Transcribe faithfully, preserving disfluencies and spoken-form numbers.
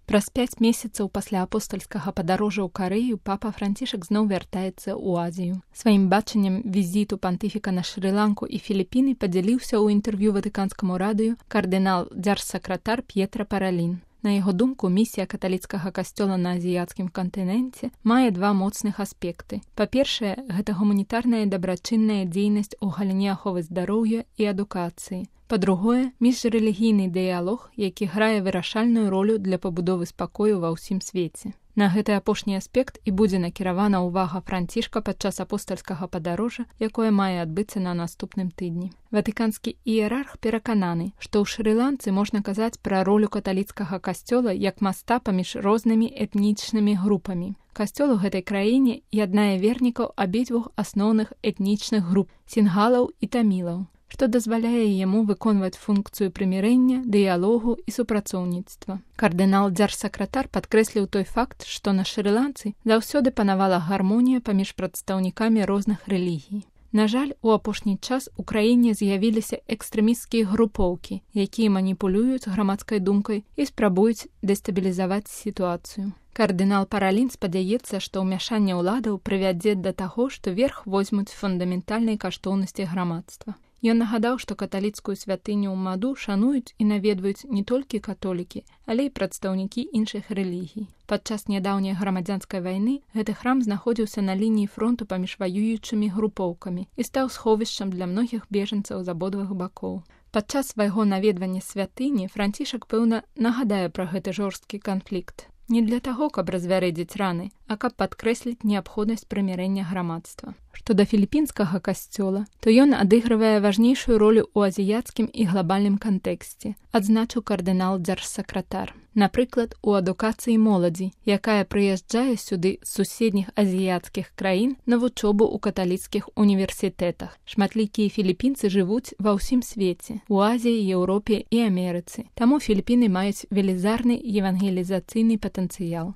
Праз пяць месяцаў пасля апостальскага падарожжа ў Карэю папа Францішак зноў вяртаецца ў Азію. Сваім бачаннем візіту пантыфіка на Шры-Ланку і Філіпіны падзяліўся ў інтэрв'ю ватыканскаму радыё кардынал дзяржсакратар П'етра Паралін. На яго думку, місія каталіцкага касцёла на азіяцкім кантыненце мае два моцных аспекты. Па-першае, гэта гуманітарная і дабрачынная дзейнасць у галіне аховы здароўя і адукацыі. Па-другое, міжрэлігійны дыялог, які грае вырашальную ролю для пабудовы спакою ва ўсім свеце. На гэты апошні аспект і будзе накіравана ўвага Францішка падчас апостальскага падарожжа, якое мае адбыцца на наступным тыдні. Ватыканскі іерарх перакананы, што ў Шры-Ланцы можна казаць пра ролю каталіцкага касцёла як моста паміж рознымі этнічнымі групамі. Касцёл у гэтай краіне яднае вернікаў абедзвюх асноўных этнічных груп – сінгалаў і тамілаў, што дазваляе яму выконваць функцыю прымірэння, дыялогу і супрацоўніцтва. Кардынал дзяржсакратар падкрэсліў той факт, што на Шры-Ланцы заўсёды панавала гармонія паміж прадстаўнікамі розных рэлігій. На жаль, у апошні час у краіне з'явіліся экстрэмісцкія групоўкі, якія маніпулююць грамадскай думкай і спрабуюць дэстабілізаваць сітуацыю. Кардынал Паралін спадзяецца, што ўмяшанне ўладаў прывядзе да таго, што верх возьмуць фундаментальнай каштоўнасці грамадства. Ён нагадаў, што каталіцкую святыню ў Маду шануюць і наведваюць не толькі католікі, але і прадстаўнікі іншых рэлігій. Падчас нядаўняй грамадзянскай вайны гэты храм знаходзіўся на лініі фронту паміж ваюючымі групоўкамі і стаў сховішчам для многіх бежанцаў з абодвух бакоў. Падчас свайго наведвання святыні Францішак, пэўна, нагадае пра гэты жорсткі канфлікт. Не для таго, каб развярэдзіць раны, а каб падкрэсліць неабходнасць прымірэння грамадства. Што да філіпінскага касцёла, то ён адыгрывае важнейшую ролю ў азіяцкім і глабальным кантэксце, адзначыў кардынал дзяржсакратар. Напрыклад, у адукацыі моладзі, якая прыязджае сюды з суседніх азіяцкіх краін на вучобу ў каталіцкіх універсітэтах. Шматлікія філіпінцы жывуць ва ўсім свеце, у Азіі, Еўропе і Амерыцы. Таму Філіпіны маюць велізарны евангелізацыйны патэнцыял.